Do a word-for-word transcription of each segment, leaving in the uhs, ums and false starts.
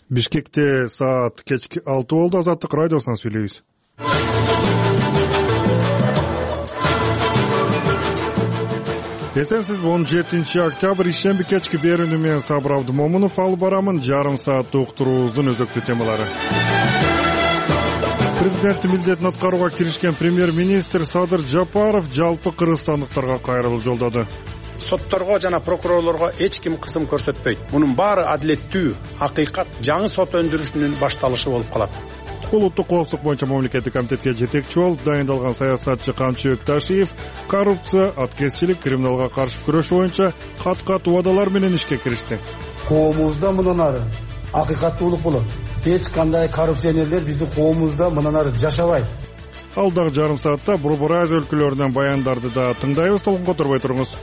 Бишкекте саат кечки алты болду. Азаттык радиосунан сүйлөйбүз. Эсенсизби? он жетинчи октябрь ишемби кечки берүүнү менен Сабыр Абдымомунов алып барамын. Жарым саат уктуруубуздун өзөктүү темалары. Президенттин милдетин аткарууга киришкен премьер-министр Садыр Жапаров жалпы кыргызстандыктарга кайрылуу жолдоду. Сотторго жана прокурорлорго эч ким кысым көрсөтпөйт. Мунун баары адилеттүү, акыйкат, жаңы сот өндүрүшүнүн башталышы болуп калат. Улуттук коопсуздук боюнча мамлекеттик комитетке жетекчи болуп дайындалган саясатчы Камчы Өкташиев коррупция, аткезчилик, криминалга каршы күрөш боюнча кат-кат убадалар менен ишке киришти. Коомубузда мындан ары акыйкаттуулук болот. Эч кандай коррупционерлер биздин коомубузда мындан ары жашабайт. Алдагы жарым саатта Борбор Азия өлкөлөрүнөн баяндарды да тыңдайбыз. Толкун которбой туруңуз.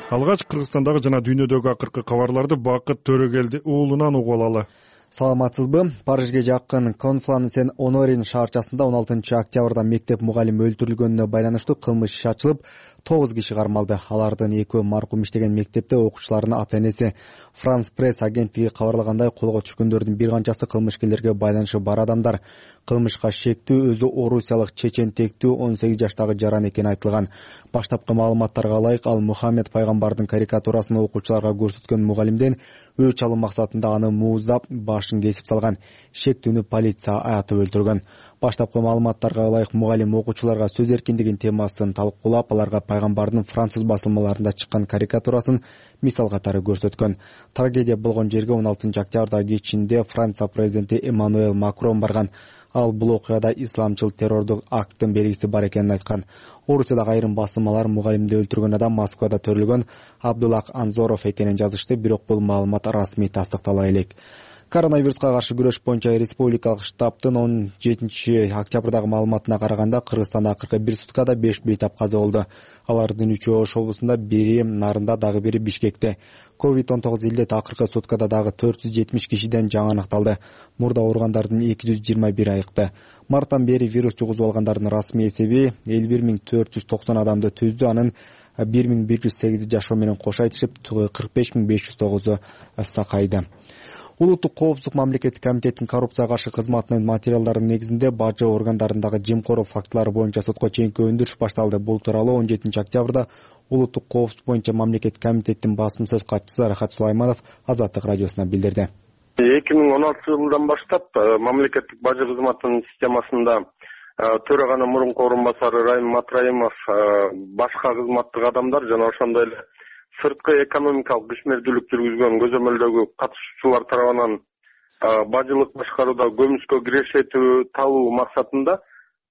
Алгач Кыргызстандагы жана дүйнөдөгү акыркы кабарларды Бакыт Төрөгелди уулунан угуп алалы. Саламатсызбы? Парижге жакын Конфлансен Онорин шаарчасында он алтынчы октябрда мектеп мугалими өлтүрүлгөнүнө байланыштуу кылмыш иши ачылып, тогуз киши кармалды. Алардын экөө маркум иштеген мектепте окуучулардын ата-энеси. Франс пресс агенттиги кабарлагандай, колго түшкөндөрдүн бир канчасы кылмышкерлерге байланышы бар адамдар. Кылмышка шектүү өзү орусиялык чечен тектүү он сегиз жаштагы жаран экени айтылган. Баштапкы маалыматтарга ылайык, ал Мухаммед пайгамбардын карикатурасын окуучуларга көрсөткөн мугалимден өч алуу максатында аны мууздап, башын кесип салган. Шектүүнү полиция атып өлтүргөн. Баштапкы маалыматтарга ылайык, мугалим окуучуларга сөз эркиндигинин темасын талкуулап, аларга пайгамбардын француз басылмаларында чыккан карикатурасын мисал катары көрсөткөн. Трагедия болгон жерге он алтынчы октябрда кечинде Франция президенти Эммануэль Макрон барган. Ал бул окуяда исламчыл террордук акттын белгиси бар экенин айткан. Орусиядагы айрым басылмалар мугалимди өлтүргөн адам Москвада төрөлгөн Абдулак Анзоров экенин жазышты, бирок бул маалымат расмий тастыктала элек. Коронавируска каршы күрөш боюнча республикалык штабтын он жетинчи октябрдагы маалыматына караганда, Кыргызстанда акыркы бир суткада беш бейтап каза болду. Алардын үчөө Ош облусунда, бири Нарында, дагы бири Бишкекте. ковид он тогуз илдет акыркы суткада дагы төрт жүз жетимиш кишиден жаңы аныкталды. Мурда ооругандардын эки жүз жыйырма бири айыкты. Марттан бери вирус жугузуп алгандардын расмий эсеби элүү бир миң төрт жүз токсон адамды түздү. Анын бир миң бир жүз сегизи жашоо менен кошо айтышып, кырк беш миң беш жүз тогузу сакайды. Улуттук коопсуздук мамлекеттик комитеттин коррупцияга каршы кызматынын материалдарынын негизинде бажы органдарындагы жемкорлук фактылары боюнча сотко чейинки өндүрүш башталды. Бул тууралуу он жетинчи октябрда Улуттук коопсуздук боюнча мамлекеттик комитеттин басым сөз катчысы Рахат Сулайманов Азаттык радиосуна билдирди. эки миң он алтынчы жылдан баштап мамлекеттик бажы кызматынын системасында төраганын мурунку орун басары Райым Матраимов, башка кызматтык адамдар жана ошондой эле сырткы экономикалык ишмердүүлүк жүргүзгөн көзөмөлдөгү катышуучулар тарабынан бажылык башкарууда көмүскө кирешетүү табуу максатында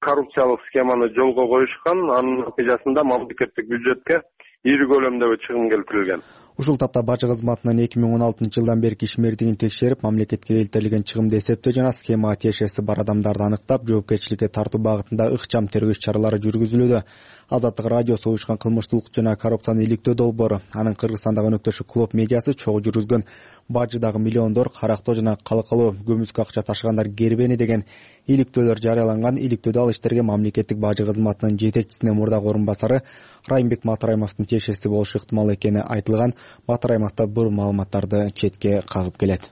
коррупциялык схеманы жолго коюшкан. Анын натыйжасында мамлекеттик бюджетке ири көлөмдөгү чыгым келтирилген. Ушул тапта бажы кызматынын эки миң он алтынчы жылдан берки ишмердигин текшерип, мамлекетке келтирилген чыгымды эсептөө жана схемага тиешеси бар адамдарды аныктап, жоопкерчиликке тартуу багытында ыкчам тергөө иш-чаралары жүргүзүлүүдө. Азаттык радиосу уюшкан кылмыштуулук жана коррупцияны иликтөө долбоору, анын Кыргызстандагы өнөктөшү Клуб медиасы чогуу жүргүзгөн бажыдагы миллиондор карактоо жана калкалуу көмүскө акча ташыгандар кербени деген иликтөөлөр жарыяланган. Иликтөөдө ал иштерге мамлекеттик бажы кызматынын жетекчисинин мурдагы орун басары Райымбек Матраимовдун тиешеси болушу ыктымал экени айтылган. Матраимов да бул маалыматтарды четке кагып келет.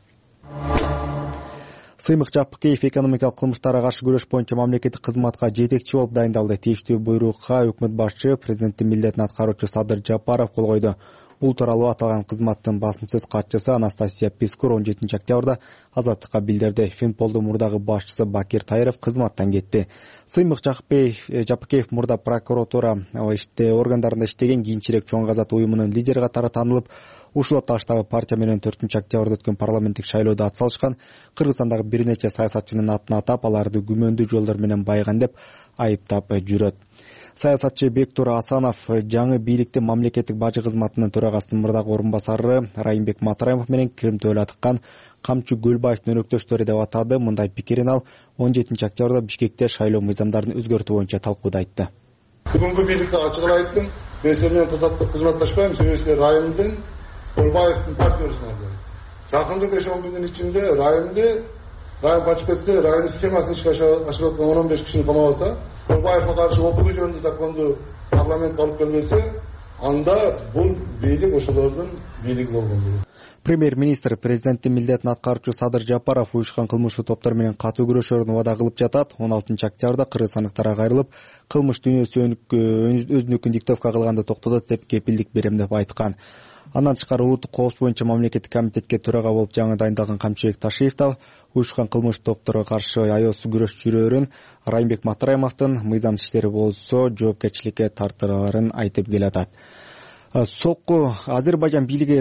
Сыймык Жапыкеев экономикалык кылмыштарга каршы күрөш боюнча мамлекеттик кызматка жетекчи болуп дайындалды. Тийиштүү буйрукка өкмөт башчы, президенттин милдетин аткаруучу Садыр Жапаров кол койду. Бул тууралуу аталган кызматтын басым сөз катчысы Анастасия Пискур он жетинчи октябрда Азаттыкка билдирди. Финполдун мурдагы башчысы Бакир Тайыров кызматтан кетти. Сыймык Жапыкеев мурда прокуратура органдарында иштеген, кийинчерээк Чоң Казат уюмунун лидери катары таанылып, ушул апташтагы партия менен төртүнчү октябрда өткөн парламенттик шайлоодо ат салышкан. Кыргызстандагы бир нече саясатчынын атын атап, аларды күмөндүү жолдор менен байган деп айыптап жүрөт. Саясатчы Бектур Асанов жаңы бийликти мамлекеттик бажы кызматынын төрагасынын мурдагы орун басары Райымбек Матраимов менен Крим төөлө атыккан Камчы Гөлбаевдин өнөктөштөрү деп атады. Мындай пикирин ал он жетинчи октябрда Бишкекте шайлоо мыйзамдарын өзгөртүү боюнча талкууда айтты. Бүгүнкү бийликти ачык эле айттым. Мен силер менен кызматташпайм, себеби силер Райымдын Гөлбаевдин партнерисиңер. Жакынкы беш он күндүн ичинде Райымды Райым качып кетсе, Райым схемасын ишке ашырып аткан он он беш кишини камап алса, Гөлбаевга каршы опугу жөнүндө законду парламентке алып келбесе, анда бул бийлик ошолордун бийлиги болгон. Премьер-министр президенттин милдетин аткаруучу Садыр Жапаров уюшкан кылмыштуу топтор менен катуу күрөшөрүн убада кылып жатат. он алтынчы октябрда кыргызстандыктарга кайрылып, кылмыш дүйнөсү өзүнүкүн диктовка кылганды токтотот деп кепилдик берем деп айткан. Андан тышкары улуттук коопсуздук боюнча мамлекеттик комитетке төрага болуп жаңы дайындалган Камчыбек Ташиев да уюшкан кылмыш топторго каршы аеосуз күрөш жүрөөрүн, Райымбек Матраимовдун мыйзамсыз иштери болсо жоопкерчиликке тартылаарын айтып келатат. Сокку Азербайжан бийлиги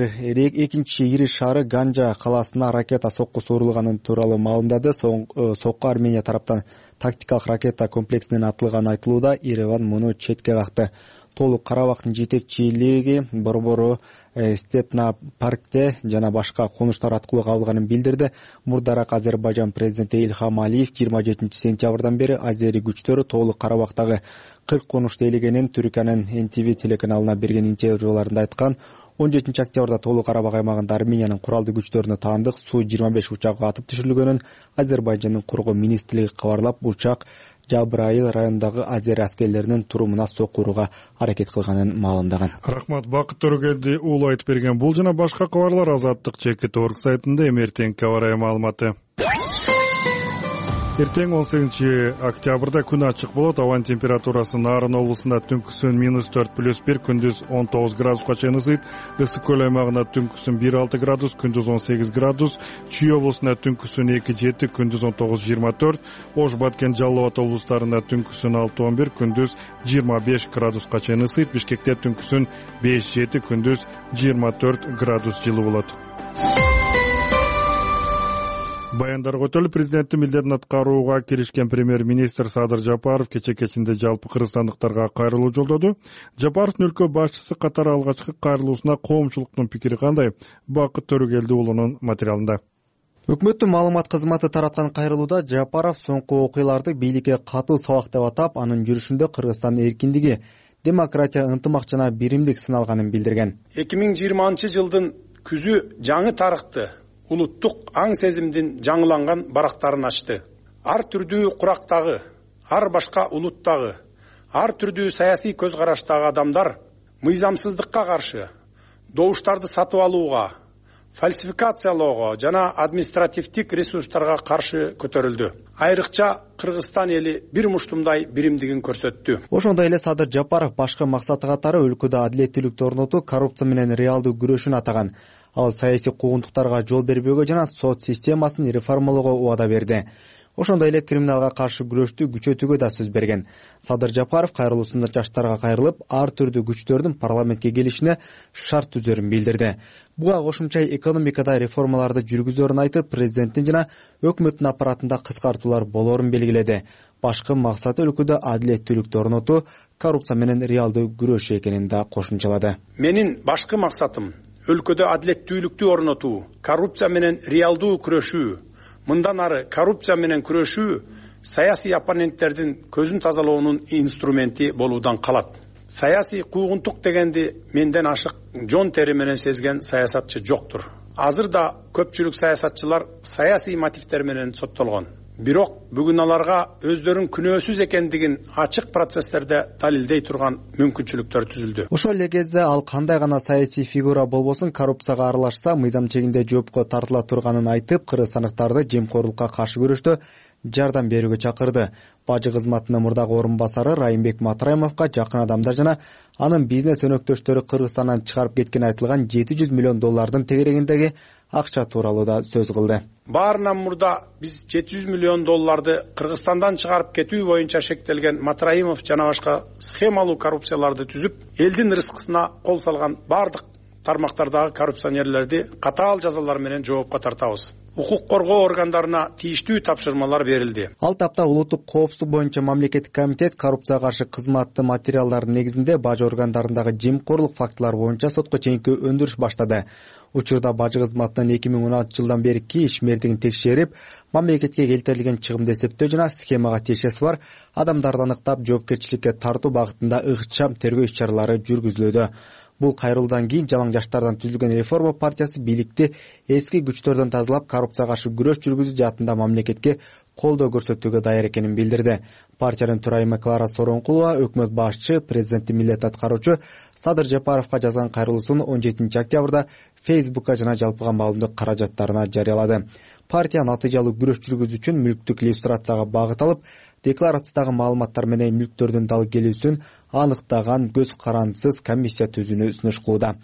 экинчи ири шаары Ганжа калаасына ракета соккусу урулганы тууралуу маалымдады. Сокку Армения тараптан тактикалык ракета комплексинен атылганы айтылууда. Ереван муну четке какты. Толук Карабактын жетекчилиги борбору Степна паркте жана башка конуштар аткылуу кабылганын билдирди. Мурдараак Азербайжан президенти Ильхам Алиев жыйырма жетинчи сентябрдан бери азери күчтөрү Толук Карабактагы кырк конушту ээлегенин Түркиянын Эн Ти Ви телеканалына берген интервьюларында айткан. он жетинчи октябрда Толук Карабак аймагында Армениянын куралдуу күчтөрүнө таандык Су жыйырма беш учагы атып түшүрүлгөнүн Азербайжандын кургоо министрлиги кабарлап, учак Жабраил районундагы азер аскерлеринин турумуна соккууга аракет кылганын маалымдаган. Рахмат, Бакыт Төрөгелди уулу айтып берген. Бул жана башка кабарлар Азаттык чекит орг сайтында эмертең кабарай маалыматы. Эртең он сегизинчи октябрда күн ачык болот. Абанын температурасы Нарын облусунда түнкүсүн минус төрт плюс бир, күндүз он тогуз градуска чейин ысыйт. Ысык көл аймагында түнкүсүн бир алты градус, күндүз он сегиз градус. Чүй облусунда түнкүсүн эки жети, күндүз он тогуз жыйырма төрт. Ош, Баткен, Жалал Абад облустарында түнкүсүн алты он бир, күндүз жыйырма беш градуска чейин ысыйт. Бишкекте түнкүсүн беш жети, күндүз жыйырма төрт градус жылы болот. Баяндарга өтөлүп, президенттин милдетин аткарууга киришкен премьер-министр Садыр Жапаров кече кечинде жалпы кыргызстандыктарга кайрылуу жолдоду. Жапаровдун өлкө башчысы катары алгачкы кайрылуусуна коомчулуктун пикири кандай? Бакыт Төрөгелди уулунун материалында. Өкмөттүн маалымат кызматы тараткан кайрылууда Жапаров соңку окуяларды бийликке катуу сабак деп атап, анын жүрүшүндө Кыргызстандын эркиндиги, демократия, ынтымак жана биримдик сыналганын билдирген. эки миң жыйырманчы жылдын күзү жаңы тарыхты, улуттук аң сезимдин жаңыланган барактарын ачты. Ар түрдүү курактагы, ар башка улуттагы, ар түрдүү саясий көз караштагы адамдар мыйзамсыздыкка каршы, добуштарды сатып алууга, фальсификациялоого жана административдик ресурстарга каршы көтөрүлдү. Айрыкча Кыргызстан эли бир муштумдай биримдигин көрсөттү. Ошондой эле Садыр Жапаров башкы максаты катары өлкөдө адилеттүүлүктү орнотуу, коррупция менен реалдуу күрөшүн атаган. Ал саясий куугунтуктарга жол бербөөгө жана сот системасын реформалоого убада берди. Ошондой эле криминалга каршы күрөштү күчөтүүгө да сөз берген. Садыр Жапаров кайрылуусунда жаштарга кайрылып, ар түрдүү күчтөрдүн парламентке келишине шарт түзөрүн билдирди. Буга кошумча экономикада реформаларды жүргүзөрүн айтып, президенттин жана өкмөттүн аппаратында кыскартуулар болоорун белгиледи. Башкы максаты өлкөдө адилеттүүлүктү орнотуу, коррупция менен реалдуу күрөшүү экенин да кошумчалады. Менин башкы максатым өлкөдө адилеттүүлүктү орнотуу, коррупция менен реалдуу күрөшүү. Мындан ары коррупция менен күрөшүү саясий оппоненттердин көзүн тазалоонун инструменти болуудан калат. Саясий куугунтук дегенди менден ашык жон тери менен сезген саясатчы жоктур. Азыр да көпчүлүк саясатчылар саясий мотивдер менен соттолгон. Бирок бүгүн аларга өздөрүн күнөөсүз экендигин ачык процесстерде далилдей турган мүмкүнчүлүктөр түзүлдү. Ошол эле кезде ал кандай гана саясий фигура болбосун коррупцияга аралашса мыйзам чегинде жоопко тартыла турганын айтып, кыргызстандыктарды жемкорлукка каршы күрөштө жардам берүүгө чакырды. Бажы кызматынын мурдагы орун басары Райымбек Матраимовго жакын адамдар жана анын бизнес өнөктөштөрү Кыргызстандан чыгарып кеткен айтылган жети жүз миллион доллардын тегерегиндеги акча тууралуу да сөз кылды. Баарынан мурда биз жети жүз миллион долларды Кыргызстандан чыгарып кетүү боюнча шектелген Матраимов жана башка схемалуу коррупцияларды түзүп, элдин рызкысына кол салган бардык тармактардагы коррупционерлерди катаал жазалар менен жоопко тартабыз. Укук коргоо органдарына тийиштүү тапшырмалар берилди. Ал тапта улуттук коопсуздук боюнча мамлекеттик комитет коррупцияга каршы кызматтын материалдарынын негизинде бажы органдарындагы жемкорлук фактылары боюнча сотко чейинки өндүрүш баштады. Учурда бажы кызматынын эки миң он алтынчы жылдан берки ишмердигин текшерип, мамлекетке келтирилген чыгымды эсептөө жана схемага тиешеси бар адамдарды аныктап жоопкерчиликке тартуу багытында ыкчам тергөө иш-чаралары жүргүзүлүүдө. Бул кайрылуудан кийин жалаң жаштардан түзүлгөн реформа партиясы бийликти эски күчтөрдөн тазалап, коррупцияга каршы күрөш жүргүзүү жаатында мамлекетке колдоо көрсөтүүгө даяр экенин билдирди. Партиянын төрайымы Клара Сооронкулова өкмөт башчы, президенттин милдетин аткаруучу Садыр Жапаровго жазган кайрылуусун он жетинчи октябрда Фейсбукка жана жалпыга маалымдык каражаттарына жарыялады. Партия натыйжалуу күрөш жүргүзүү үчүн мүлктүк иллюстрацияга багыт алып, декларациядагы маалыматтар менен мүлктөрдүн дал келүүсүн аныктаган көз карандысыз комиссия түзүүнү сунуш кылууда.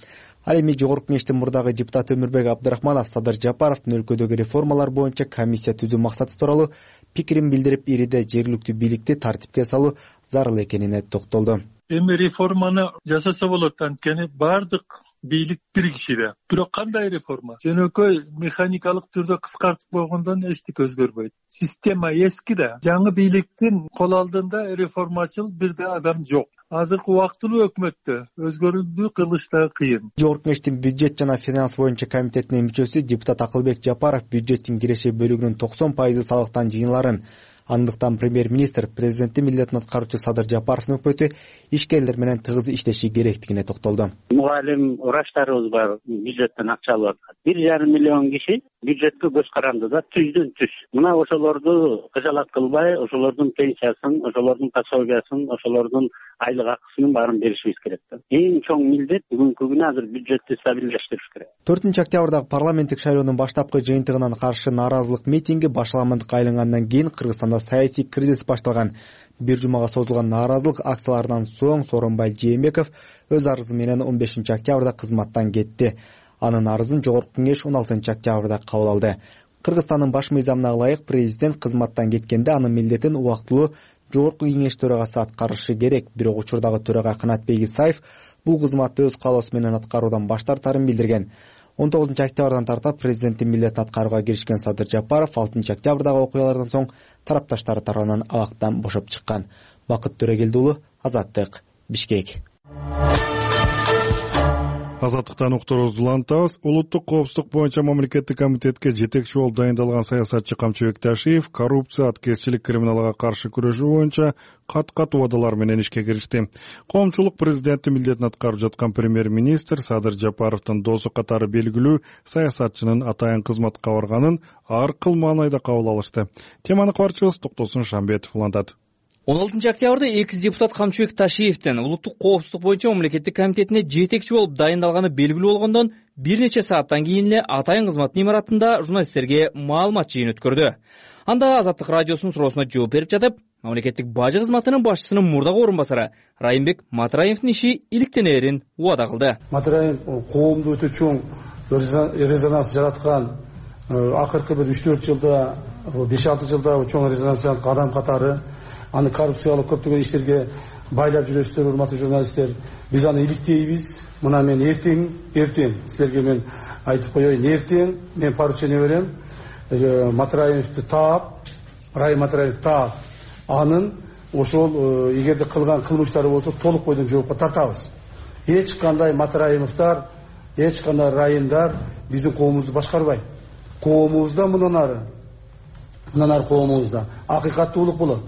Ал эми жогорку кеңештин мурдагы депутаты Өмүрбек Абдрахманов Садыр Жапаровдун өлкөдөгү реформалар боюнча комиссия түзүү максаты тууралуу пикирин билдирип, ириде жергиликтүү бийликти тартипке салуу зарыл экенине токтолду. Эми реформаны жасаса болот, анткени баардык бийлик бир кишиде. Бирок кандай реформа? Жөнөкөй механикалык түрдө кыскартып койгондон эчтеке өзгөрбөйт. Система эски да. Жаңы бийликтин кол алдында реформачыл бир да адам жок. Азыркы убактылуу өкмөттө өзгөрүүлдү кылыш да кыйын. Жогорку кеңештин бюджет жана финанс боюнча комитетинин мүчөсү депутат Акылбек Жапаров бюджеттин киреше бөлүгүнүн токсон пайызы салыктан жыйналарын, андыктан премьер-министр президенттин милдетин аткаруучу Садыр Жапаровдун өкмөтү ишкерлер менен тыгыз иштеши керектигине токтолду. Мугалим врачтарыбыз бар, бюджеттен акча алып аткан. бир жарым миллион киши бюджетке көз карандыда түздөн түз. Мына ошолорду кыжалат кылбай, ошолордун пенсиясын, ошолордун пособиясын, ошолордун айлык акысынын баарын беришибиз керек. Эң чоң милдет бүгүнкү күнү азыр бюджетти стабилдештириш керек. төртүнчү октябрдагы парламенттик шайлоонун баштапкы жыйынтыгынан каршы нааразылык митинги башаламандыкка айлангандан кийин Кыргызстанда саясий кризис башталган. Бир жумага созулган нааразылык акцияларынан соң Сооронбай Жээнбеков өз арызы менен он бешинчи октябрда кызматтан кетти. Анын арызын жогорку кеңеш он алтынчы октябрда кабыл алды. Кыргызстандын баш мыйзамына ылайык президент кызматтан кеткенде анын милдетин убактылуу жогорку кеңеш төрагасы аткарышы керек. Бирок учурдагы төрага Канатбек Исаев бул кызматты өз каалоосу менен аткаруудан баш тартарын билдирген. он тогузунчу октябрдан тарта президенттин милдетин аткарууга киришкен Садыр Жапаров алтынчы октябрдагы окуялардан соң тарапташтары тарабынан абактан бошоп чыккан. Бакыт Төрөгелди уулу, Азаттык, Бишкек. Азаттыктан уктуруубузду улантабыз. Улуттук коопсуздук боюнча мамлекеттик комитетке жетекчи болуп дайындалган саясатчы Камчыбек Ташиев коррупция, аткезчилик, криминалга каршы күрөшүү боюнча кат-кат убадалар менен ишке киришти. Коомчулук президенттин милдетин аткарып жаткан премьер-министр Садыр Жапаровдун досу катары белгилүү саясатчынын атайын кызматка барганын ар кыл маанайда кабыл алышты. Теманы кабарчыбыз Токтосун Шамбетов улантат. он алтынчы октябрда экс депутат Камчыбек Ташиевдин улуттук коопсуздук боюнча мамлекеттик комитетине жетекчи болуп дайындалганы белгилүү болгондон бир нече сааттан кийин эле атайын кызматтын имаратында журналисттерге маалымат жыйын өткөрдү. Анда Азаттык радиосунун суроосуна жооп берип жатып, мамлекеттик бажы кызматынын башчысынын мурдагы орун басары Райымбек Матраевдин иши иликтенерин убада кылды. Матраев коомдо өтө чоң резонанс жараткан, акыркы бир үч төрт жылда, беш алты жылда чоң резонанс жараткан адам катары. Аны коррупциялык көптөгөн иштерге байлап жүрөсүздөр, урматтуу журналисттер. Биз аны иликтейбиз. Мына мен эртең, эртең силерге мен айтып коеюн, эртең мен поручение берем. Матраевди таап, Райым Матраевди таап, анын ошол эгерде кылган кылмыштары болсо толук бойдон жоопко тартабыз. Эч кандай Матраевдер, эч кандай Райымдар биздин коомубузду башкарбайт. Коомубузда мындан ары, мындан ары коомубузда акыйкаттуулук болот.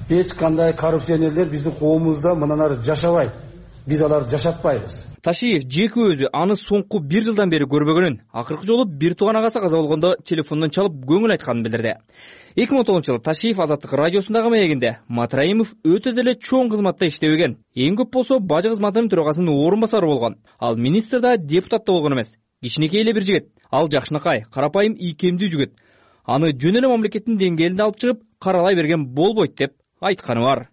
Эч кандай коррупционерлер биздин коомубузда мындан ары жашабайт. Биз аларды жашатпайбыз. Ташиев жеке өзү аны соңку бир жылдан бери көрбөгөнүн, акыркы жолу бир тууган агасы каза болгондо телефондон чалып көңүл айтканын билдирди. эки миң он тогузунчу жылы Ташиев Азаттык радиосундагы маегинде Матраимов өтө деле чоң кызматта иштебеген, эң көп болсо бажы кызматынын төрагасынын орун басары болгон. Ал министр да, депутат да болгон эмес. Кичинекей эле бир жигит. Ал жакшынакай, карапайым, ийкемдүү жигит. Аны жөн эле мамлекеттин деңгээлинде алып чыгып, каралай берген болбойт деп айтканы бар.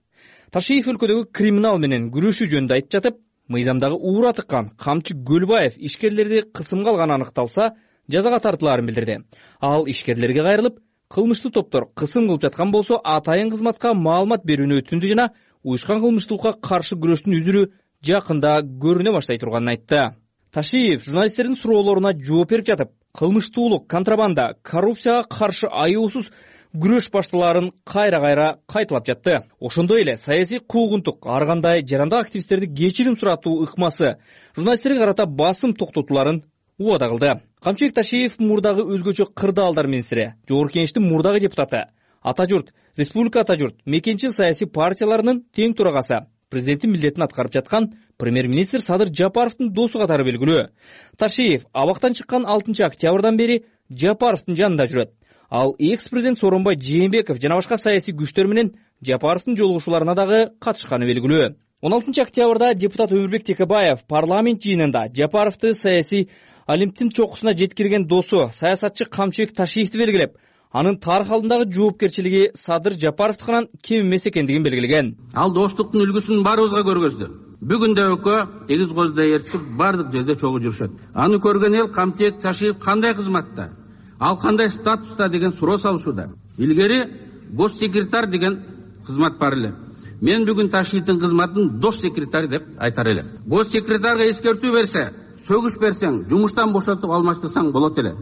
Ташиев өлкөдөгү криминал менен күрөшүү жөнүндө айтып жатып, мыйзамдагы уура тыккан Камчы Гөлбаев ишкерлерди кысымга алганы аныкталса, жазага тартылаарын билдирди. Ал ишкерлерге кайрылып, кылмыштуу топтор кысым кылып жаткан болсо, атайын кызматка маалымат берүүнү өтүндү жана уюшкан кылмыштуулукка каршы күрөштүн үзүрү жакында көрүнө баштай турганын айтты. Ташиев журналисттердин суроолоруна жооп берип жатып, кылмыштуулук, контрабанда, коррупцияга каршы аюусуз күрөш башталарын кайра-кайра кайталап жатты. Ошондой эле саясий куугунтук, ар кандай жарандык активисттерди кечирим суратуу ыкмасы, журналисттерге карата басым токтотууларын убада кылды. Камчыбек Ташиев мурдагы өзгөчө кырдаалдар министри, жогорку кеңештин мурдагы депутаты, Ата журт, Республика Ата журт, мекенчил саясий партияларынын тең турагасы, президенттин милдетин аткарып жаткан премьер-министр Садыр Жапаровдун досу катары белгилүү. Ташиев абактан чыккан алтынчы октябрдан бери Жапаровдун жанында жүрөт. Ал экс-президент Сооронбай Жээнбеков жана башка саясий күчтөр менен Жапаровдун жолугушууларына дагы катышканы белгилүү. он алтынчы октябрда депутат Өмүрбек Текебаев парламент жыйынында Жапаровду саясий олимптин чокусуна жеткирген досу саясатчы Камчыбек Ташиевди белгилеп, анын тарых алдындагы жоопкерчилиги Садыр Жапаровдукунан кем эмес экендигин белгилеген. Ал достуктун үлгүсүн баарыбызга көргөздү. Бүгүн да экөө эгиз коздай ээрчип бардык жерде чогуу жүрүшөт. Аны көргөн эл Камчыбек Ташиев кандай кызматта, ал кандай статуста деген суроо салышууда. Илгери госсекретарь деген кызмат бар эле. Мен бүгүн Ташиевдин кызматын дос секретарь деп айтар элем. Госсекретарга эскертүү берсе, сөгүш берсең, жумуштан бошотуп алмаштырсаң болот эле.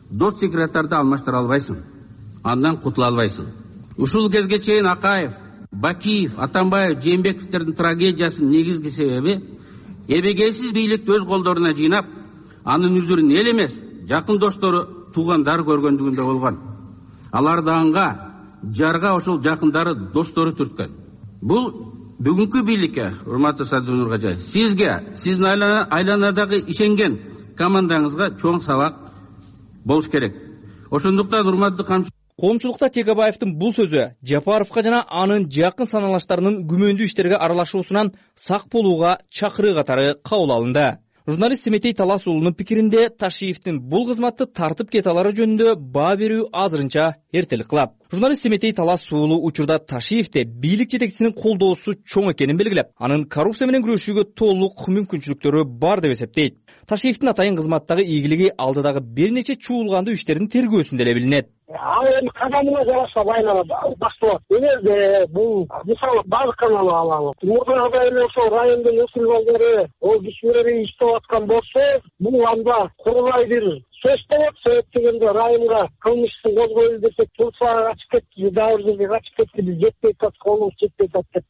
Дос секретарды алмаштыра албайсың. Андан кутула албайсың. Ушул кезге чейин Акаев, Бакиев, Атамбаев, Жээнбековдердин трагедиясынын негизги себеби эбегейсиз бийликти өз колдоруна жыйнап, анын үзүрүн эл эмес, жакын достору, туугандар көргөндүгүндө болгон. Алар да анга, жарга ошол жакындары, достору түрткөн. Бул бүгүнкү бийликке, урматтуу Садыр Нуркожаев, сизге, сиздин айланадагы ишенген командаңызга чоң сабак болуш керек. Ошондуктан урматтуу Камчыбек, Коомчулукта Текебаевдин бул сөзү Жапаровго жана анын жакын саналаштарынын күмөндүү иштерге аралашуусунан сак болууга чакыруу катары кабыл алынды. Журналист Семетей Талас уулунун пикиринде Ташиевдин бул кызматты тартып кете алары жөнүндө баа берүү азырынча эртелик кылат. Журналист Семетей Талас уулу учурда Ташиевде бийлик жетекчисинин колдоосу чоң экенин белгилеп, анын коррупция менен күрөшүүгө толук мүмкүнчүлүктөрү бар деп эсептейт. Ташиевдин атайын кызматтагы ийгилиги алдыдагы бир нече чуулгандуу иштердин тергөөсүндө эле билинет. Ал эми кадамына жараша байланат, башталат. Эгерде бул мисалы база канал алалы, мурдагыдай эле ошол райондун өкүл балдары, ол кишилери иштеп аткан болсо, бул анда курулай бир сөз болот. Себеп дегенде районго кылмыштын козголду десек, Турцияга качып кетти, дагы бир жерге качып кетти, биз жетпей атат, колубуз жетпей атат деп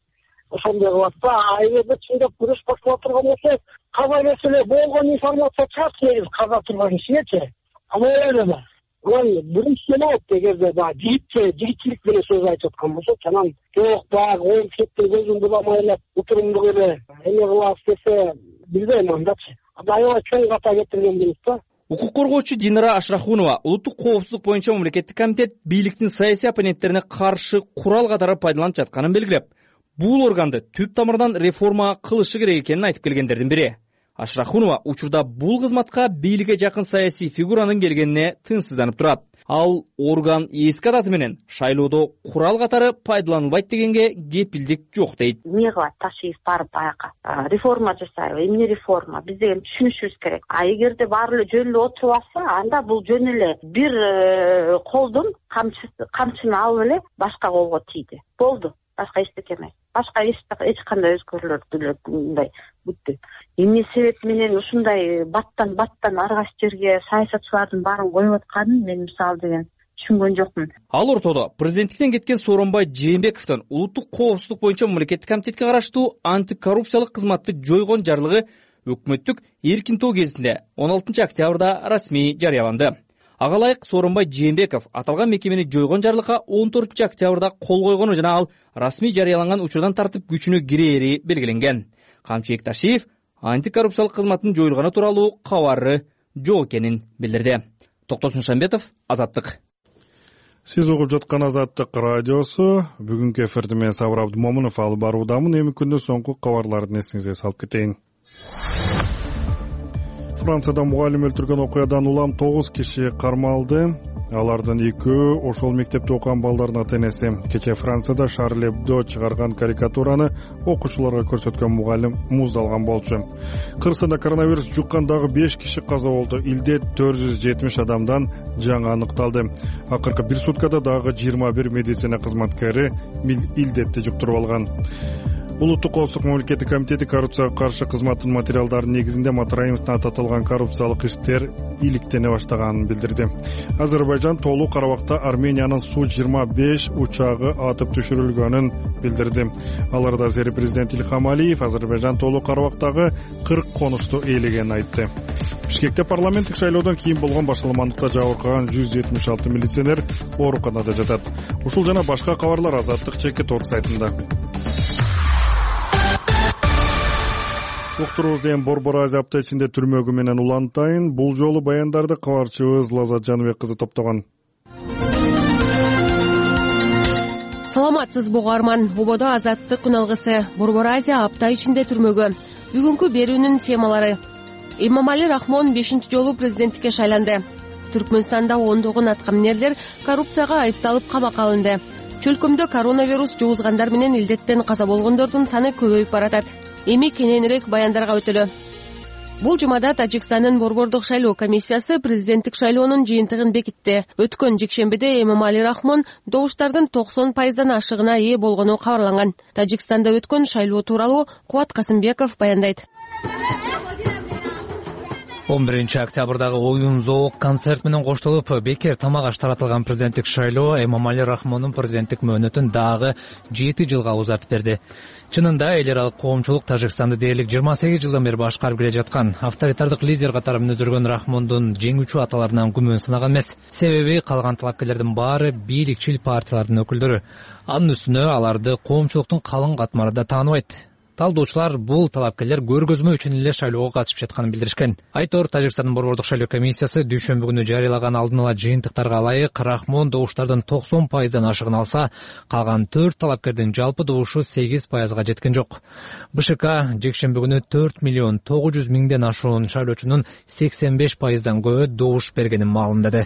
ошондой кылат да. А эгерде чындап күрөш баштала турган болсо, каза келсе болгон информация чыгат, негизи каза турган кишигечи. Ама эле Ой, биринчи болот эгерде баягы жигитче, жигитчилик менен сөз айтып аткан болсо, анан жок баягы он кеттин көзүн буламай эле утурумдук эле эме кылабыз десе, билбейм андачы. Аябай чоң ката кетирген болот да. Укук коргоочу Динара Ашрахунова улуттук коопсуздук боюнча мамлекеттик комитет бийликтин саясий оппоненттерине каршы курал катары пайдаланып жатканын белгилеп, бул органды түп тамырдан реформа кылышы керек экенин айтып келгендердин бири. Ашрахунова учурда бул кызматка бийликке жакын саясий фигуранын келгенине тынчсызданып турат. Ал орган эски адаты менен шайлоодо курал катары пайдаланылбайт дегенге кепилдик жок дейт. Эмне кылат Ташиев барып баягы реформа жасайбы, эмне реформа, биз деген түшүнүшүбүз керек. А эгерде баары эле жөн эле отуруп алса, анда бул жөн эле бир колдун камчыны алып эле башка колго тийди. Болду. Башка эчтеке эмес. Башка эч кандай өзгөрүүлөр деле мындай бүттү. Эмне себеп менен ушундай баттан баттан ар кайсы жерге саясатчылардын баарын коюп атканын мен мисалы деген түшүнгөн жокмун. Ал ортодо президенттиктен кеткен Сооронбай Жээнбековдун улуттук коопсуздук боюнча мамлекеттик комитетке караштуу антикоррупциялык кызматты жойгон жарлыгы өкмөттүк эркин тоо гезитинде он алтынчы октябрда расмий жарыяланды. Ага ылайык Сооронбай Жээнбеков аталган мекемени жойгон жарлыкка он төртүнчү октябрда кол койгону жана ал расмий жарыяланган учурдан тартып күчүнө кирери белгиленген. Камчыбек Ташиев антикоррупциялык кызматтын жоюлганы тууралуу кабары жок экенин билдирди. Токтосун Шамбетов, Азаттык. Сиз угуп жаткан Азаттык радиосу. Бүгүнкү эфирди мен Сабыр Абдумомунов алып баруудамын. Эми күндүн соңку кабарларын эсиңизге салып кетейин. Францияда мугалим өлтүргөн окуядан улам тогуз киши кармалды. Алардын экөө ошол мектепте окуган балдардын ата-энеси. Кечээ Францияда Шарль Эбдо чыгарган карикатураны окуучуларга көрсөткөн мугалим муздалган болчу. Кыргызстанда коронавирус жуккан дагы беш киши каза болду. Илде төрт жүз жетимиш адамдан жаңы аныкталды. Акыркы бир суткада дагы жыйырма бир медицина кызматкери илдетти жуктуруп алган. Улуттук коопсуздук мамлекеттик комитети коррупцияга каршы кызматтын материалдарынын негизинде Матраимовдун аты аталган коррупциялык иштер иликтене баштаганын билдирди. Азербайжан толук Карабакта Армениянын Су жыйырма беш учагы атып түшүрүлгөнүн билдирди. Аларда азери президент Илхам Алиев Азербайжан толук Карабактагы кырк конушту ээлегенин айтты. Бишкекте парламенттик шайлоодон кийин болгон башаламандыкта жабыркаган жүз жетимиш алты милиционер ооруканада жатат. Ушул жана башка кабарлар Азаттык чекит орг сайтында. уктурубуз деген Борбор Азия апта ичинде түрмөгү менен улантайын. Бул жолу баяндарды кабарчыбыз Лазат Жаныбек кызы топтогон. Саламатсызбы угарман. Ободо азаттык үналгысы Борбор Азия апта ичинде түрмөгү. Бүгүнкү берүүнүн темалары: Эмомали Рахмон бешинчи жолу президенттикке шайланды. Түркмөнстанда ондогон аткаминерлер коррупцияга айыпталып камакка алынды. Чөлкөмдө коронавирус жугузгандар менен илдеттен каза болгондордун саны көбөйүп баратат. Эми кененирээк баяндарга өтөлү. Бул жумада Тажикстандын Борбордук шайлоо комиссиясы президенттик шайлоонун жыйынтыгын бекитти. Өткөн жекшембиде Эмомали Рахмон добуштардын токсон пайыздан ашыгына ээ болгону кабарланган. Тажикстанда өткөн шайлоо тууралуу Кубат Касымбеков баяндайт. он биринчи октябрдагы оюн зоок концерт менен коштолуп бекер тамак аш таратылган президенттик шайлоо Эмомали Рахмондун президенттик мөөнөтүн дагы жети жылга узартып берди. Чынында эл аралык коомчулук Тажикстанды дээрлик жыйырма сегиз жылдан бери башкарып келе жаткан авторитардык лидер катары мүнөздөргөн Рахмондун жеңүүчү аталарынан күмөн сынаган эмес. Себеби калган талапкерлердин баары бийликчил партиялардын өкүлдөрү. Анын үстүнө аларды коомчулуктун калың катмары да тааныбайт. Талдоочулар бул талапкерлер көргөзмө үчүн эле шайлоого катышып жатканын билдиришкен. Айтор Тажикстандын Борбордук шайлоо комиссиясы дүйшөмбү күнү жарыялаган алдын ала жыйынтыктарга ылайык Рахмон добуштардын токсон пайыздан ашыгын алса, калган төрт талапкердин жалпы добушу сегиз пайызга жеткен жок. БШК жекшемби күнү төрт миллион тогуз жүз миңден ашуун шайлоочунун сексен беш пайыздан көбү добуш бергенин маалымдады.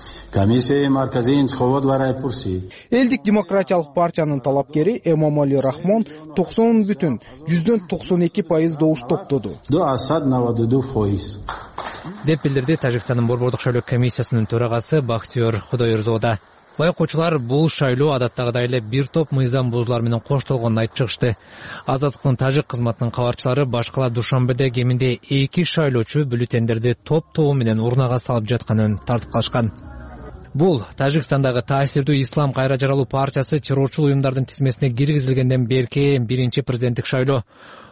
Элдик демократиялык партиянын талапкери Эмомали Рахмон токсон бүтүн жүздөн токсон эки пайыз добуш топтоду деп билдирди Тажикстандын Борбордук шайлоо комиссиясынын төрагасы Бактиёр Кудоерзода. Байкоочулар бул шайлоо адаттагыдай эле бир топ мыйзам бузуулар менен коштолгонун айтып чыгышты. Азаттыктын тажик кызматынын кабарчылары башкала Душанбеде кеминде эки шайлоочу бюллетендерди топ-тобу менен урнага салып жатканын тартып калышкан. Бул Тажикстандагы таасирдүү Ислам кайра жаралуу партиясы террорчул уюмдардын тизмесине киргизилгенден берки биринчи президенттик шайлоо.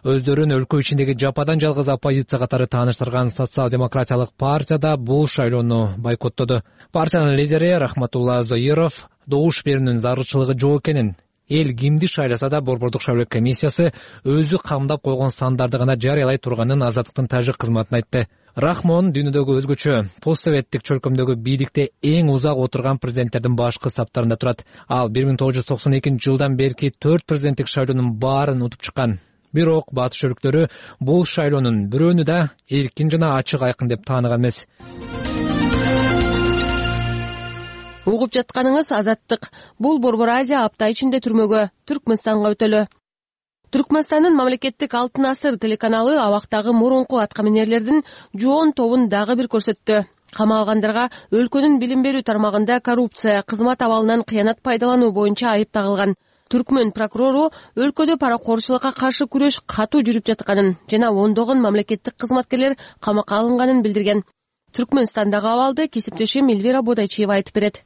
Өздөрүн өлкө ичиндеги жападан жалгыз оппозиция катары тааныштырган социал-демократиялык партия да бул шайлоону бойкоттоду. Партиянын лидери Рахматулла Зоиров добуш берүүнүн зарылчылыгы жок экенин, эл кимди шайласа да Борбордук шайлоо комиссиясы өзү камдап койгон сандарды гана жарыялай турганын Азаттыктын тажик кызматына айтты. Рахмон дүйнөдөгү өзгөчө постсоветтик чөлкөмдөгү бийликте эң узак отурган президенттердин башкы саптарында турат. Ал бир миң тогуз жүз токсон экинчи жылдан берки төрт президенттик шайлоонун баарын утуп чыккан. Бирок батыш өлкөлөрү бул шайлоонун бирөөнү да эркин жана ачык айкын деп тааныган эмес. Угуп жатканыңыз Азаттык. Бул Борбор Азия апта ичинде түрмөгө Түркмөнстанга өтөлү. Түркмөнстандын мамлекеттик Алтын асыр телеканалы абактагы мурунку аткаминерлердин жоон тобун дагы бир көрсөттү. Камалгандарга өлкөнүн билим берүү тармагында коррупция, кызмат абалынан кыянат пайдалануу боюнча айып тагылган. Түркмөн прокурору өлкөдө паракорчулукка каршы күрөш катуу жүрүп жатканын жана ондогон мамлекеттик кызматкерлер камакка алынганын билдирген. Түркмөнстандагы абалды кесиптешим Эльвира Бодайчиева айтып берет.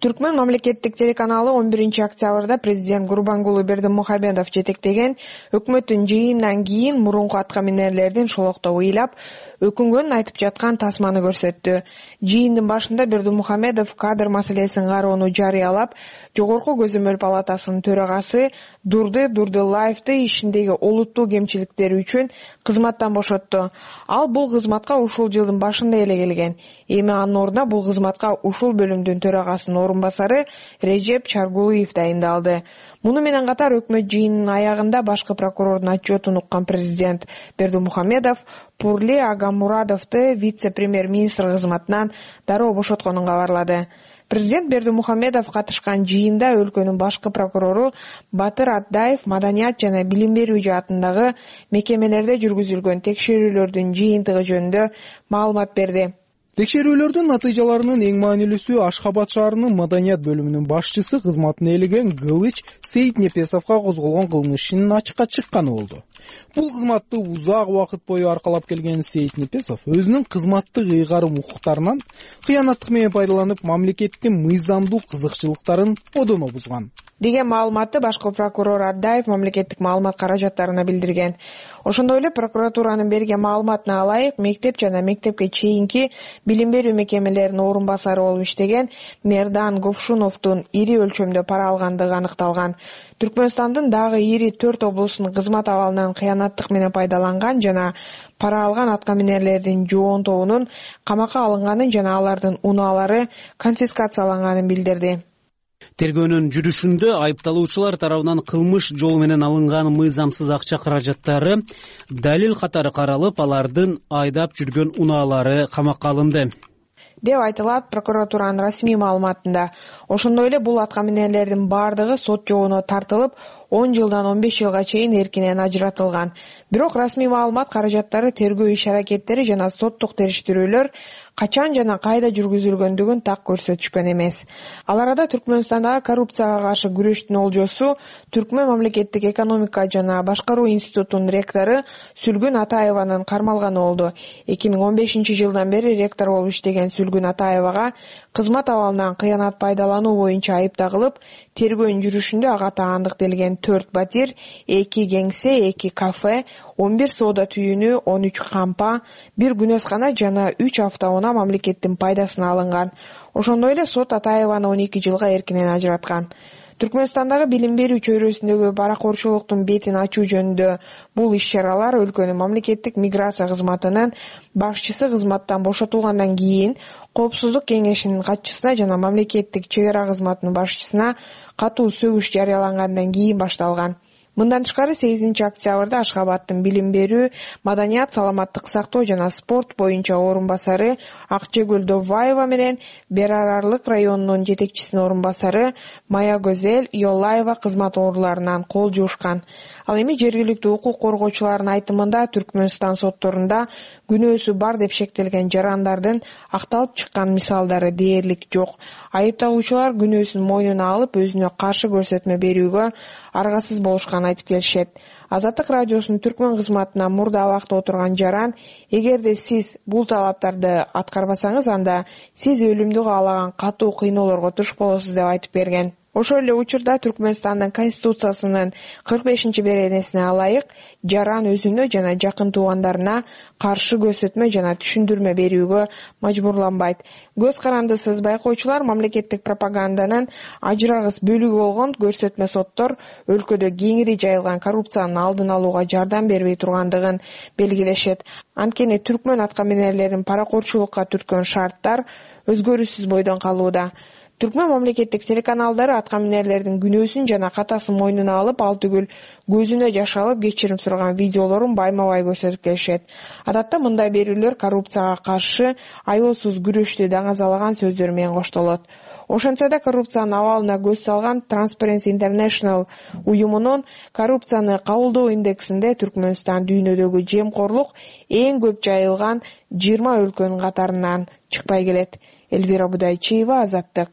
Түркмөн мамлекеттик телеканалы он биринчи октябрда президент Гурбангулы Бердимухамедов жетектеген өкмөттүн жыйынынан кийин мурунку аткаминерлердин шолоктобу ыйлап, өкүнгөнүн айтып жаткан тасманы көрсөттү. Жыйындын башында Бердимухамедов кадр маселесин кароону жарыялап, Жогорку көзөмөл палатасынын төрагасы Дурды Дурдылаевди ишиндеги олуттуу кемчиликтери үчүн кызматтан бошотту. Ал бул кызматка ушул жылдын башында эле келген. Эми анын ордуна бул кызматка ушул бөлүмдүн төрагасынын орун басары Режеп Чаргулуев дайындалды. Муну менен катар өкмөт жыйынынын аягында башкы прокурордун отчетун уккан президент Бердимухамедов Пурли Агамурадовду вице-премьер-министр кызматынан дароо бошотконун кабарлады. Президент Бердимухамедов катышкан жыйында өлкөнүн башкы прокурору Батыр Атдаев маданият жана билим берүү жаатындагы мекемелерде жүргүзүлгөн текшерүүлөрдүн жыйынтыгы жөнүндө маалымат берди. Текшерүүлөрдүн натыйжаларынын эң маанилүүсү Ашхабад шаарынын маданият бөлүмүнүн башчысы кызматына ээлеген Кылыч Сейитнепесовго козголгон кылмыш ишинин ачыкка чыкканы болду. Бул кызматты узак убакыт бою аркалап келген Сейитнепесов өзүнүн кызматтык ыйгарым укуктарынан кыянаттык менен пайдаланып мамлекеттин мыйзамдуу кызыкчылыктарын одоно бузган деген маалыматты башкы прокурор Атдаев мамлекеттик маалымат каражаттарына билдирген. Ошондой эле прокуратуранын берген маалыматына ылайык, мектеп жана мектепке чейинки билим берүү мекемелеринин орун басары болуп иштеген Мердан Говшуновдун ири өлчөмдө пара алгандыгы аныкталган. Түркмөнстандын дагы ири төрт облусунун кызмат абалынан кыянаттык менен пайдаланган жана пара алган аткаминерлердин жоон тобунун камакка алынганын жана алардын унаалары конфискацияланганын билдирди. Тергөөнүн жүрүшүндө айыпталуучулар тарабынан кылмыш жолу менен алынган мыйзамсыз акча каражаттары далил катары каралып, алардын айдап жүргөн унаалары камакка алынды деп айтылат прокуратуранын расмий маалыматында. Ошондой эле бул аткаминерлердин баардыгы сот жобуна тартылып, он жылдан он беш жылга чейин эркинен ажыратылган. Бирок расмий маалымат каражаттары тергөө иш-аракеттери жана соттук териштирүүлөр качан жана кайда жүргүзүлгөндүгүн так көрсөтүшкөн эмес. Ал арада Түркмөнстандагы коррупцияга каршы күрөштүн олжосу Түркмөн мамлекеттик экономика жана башкаруу институтунун ректору Сүлгүн Атаеванын кармалганы болду. эки миң он бешинчи жылдан бери ректор болуп иштеген Сүлгүн Атаевага кызмат абалынан кыянат пайдалануу боюнча айып тагылып, тергөөнүн жүрүшүндө ага таандыктелген төрт батир, эки кеңсе, эки кафе, он бир соода түйүнү, он үч кампа, бир күнөскана жана үч автоунаа мамлекеттин пайдасына алынган. Ошондой эле сот Атаеваны он эки жылга эркинен ажыраткан. Түркмөнстандагы билим берүү чөйрөсүндөгү паракорчулуктун бетин ачуу жөнүндө бул иш-чаралар өлкөнүн мамлекеттик миграция кызматынын башчысы кызматтан бошотулгандан кийин Коопсуздук кеңешинин катчысына жана мамлекеттик чек ара кызматынын башчысына катуу сөгүш жарыялангандан кийин башталган. Мындан тышкары сегизинчи октябрда Ашхабадтын билим берүү, маданият, саламаттык сактоо жана спорт боюнча орун басары Акчегүл Довбаева менен Берарарлык районунун жетекчисинин орун басары Мая Гөзел Йолаева кызмат ооруларынан кол жуушкан. Ал эми жергиликтүү укук коргоочулардын айтымында Түркмөнстан сотторунда күнөөсү бар деп шектелген жарандардын акталып чыккан мисалдары дээрлик жок. Айыпталуучулар күнөөсүн мойнуна алып, өзүнө каршы көрсөтмө берүүгө аргасыз болушканын айтып келишет. Азаттык радиосунун түркмөн кызматына мурда абакта отурган жаран, эгерде сиз бул талаптарды аткарбасаңыз, анда сиз өлүмдү каалаган катуу кыйноолорго туш болосуз деп айтып берген. Ошол эле учурда Түркмөнстандын конституциясынын кырк бешинчи беренесине ылайык жаран өзүнө жана жакын туугандарына каршы көрсөтмө жана түшүндүрмө берүүгө мажбурланбайт. Көз карандысыз байкоочулар мамлекеттик пропаганданын ажырагыс бөлүгү болгон көрсөтмө соттор өлкөдө кеңири жайылган коррупциянын алдын алууга жардам бербей тургандыгын белгилешет. Анткени түркмөн аткаминерлерин паракорчулукка түрткөн шарттар өзгөрүүсүз бойдон калууда. Түркмөн мамлекеттик телеканалдары аткаминерлердин күнөөсүн жана катасын мойнуна алып, ал түгүл көзүнө жаш алып кечирим сураган видеолорун байма-бай көрсөтүп келишет. Адатта мындай берүүлөр коррупцияга каршы аеосуз күрөштү даңазалаган сөздөр менен коштолот. Ошентсе да коррупциянын абалына көз салган Transparency International уюмунун коррупцияны кабылдоо индексинде Түркмөнстан дүйнөдөгү жемкорлук эң көп жайылган жыйырма өлкөнүн катарынан чыкпай келет. Элвира Будайчиева, Азаттык.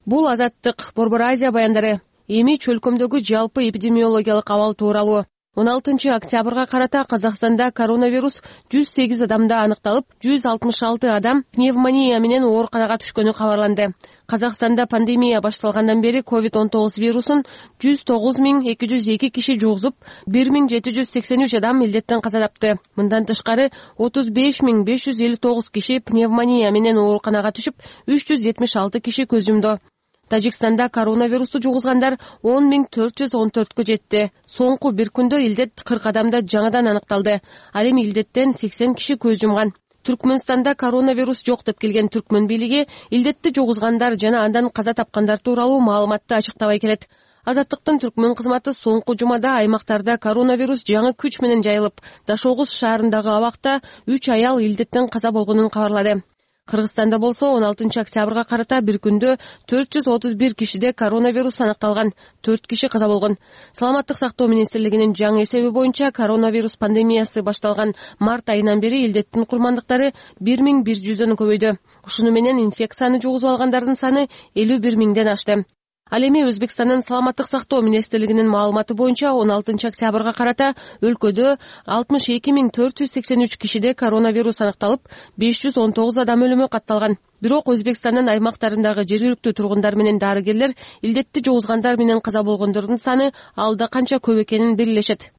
Бул Азаттык, Борбор Азия баяндары. Эми чөлкөмдөгү жалпы эпидемиологиялык абал тууралуу. он алтынчы октябрга карата Казакстанда коронавирус жүз сегиз адамда аныкталып, жүз алтымыш алты адам пневмония менен ооруканага түшкөнү кабарланды. Казакстанда пандемия башталгандан бери ковид он тогуз вирусун жүз тогуз миң эки жүз эки киши жугузуп, бир миң жети жүз сексен үч адам илдеттен каза тапты. Мындан тышкары отуз беш миң беш жүз элүү тогуз киши пневмония менен ооруканага түшүп, үч жүз жетимиш алты киши көз жумду. Тажикстанда коронавирусту жугузгандар он миң төрт жүз он төрткө жетти. Соңку бир күндө илдет кырк адамда жаңадан аныкталды. Ал эми илдеттен сексен киши көз жумган. Түркмөнстанда коронавирус жок деп келген түркмөн бийлиги илдетти жугузгандар жана андан каза тапкандар тууралуу маалыматты ачыктабай келет. Азаттыктын түркмөн кызматы соңку жумада аймактарда коронавирус жаңы күч менен жайылып, Дашогуз шаарындагы абакта үч аял илдеттен каза болгонун кабарлады. Кыргызстанда болсо он алтынчы октябрга карата бир күндө төрт жүз отуз бир кишиде коронавирус аныкталган, төрт киши каза болгон. Саламаттык сактоо министрлигинин жаңы эсеби боюнча коронавирус пандемиясы башталган март айынан бери илдеттин курмандыктары бир миң бир жүздөн көбөйдү. Ушуну менен инфекцияны жугузуп алгандардын саны элүү бир миңден ашты. Ал эми Өзбекстандын саламаттык сактоо министрлигинин маалыматы боюнча он алтынчы октябрга карата өлкөдө алтымыш эки миң төрт жүз сексен үч кишиде коронавирус аныкталып, беш жүз он тогуз адам өлүмү катталган. Бирок Өзбекстандын аймактарындагы жергиликтүү тургундар менен дарыгерлер илдетти жугузгандар менен каза болгондордун саны алда канча көп экенин белгилешет.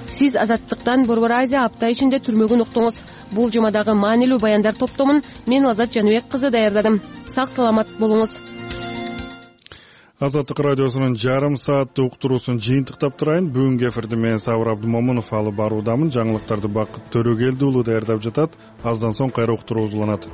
Сиз Азаттыктан Борбор Азия апта ичинде түрмөгүн уктуңуз. Бул жумадагы маанилүү баяндар топтомун мен Азат Жаныбек кызы даярдадым. Сак саламат болуңуз. Азаттык радиосунун жарым сааттык уктуруусун жыйынтыктап турайын. Бүгүнкү эфирди мен Сабыр Абдымомунов алып баруудамын. Жаңылыктарды Бакыт Төрөгелди уулу даярдап жатат. Аздан соң кайра уктуруу уланат.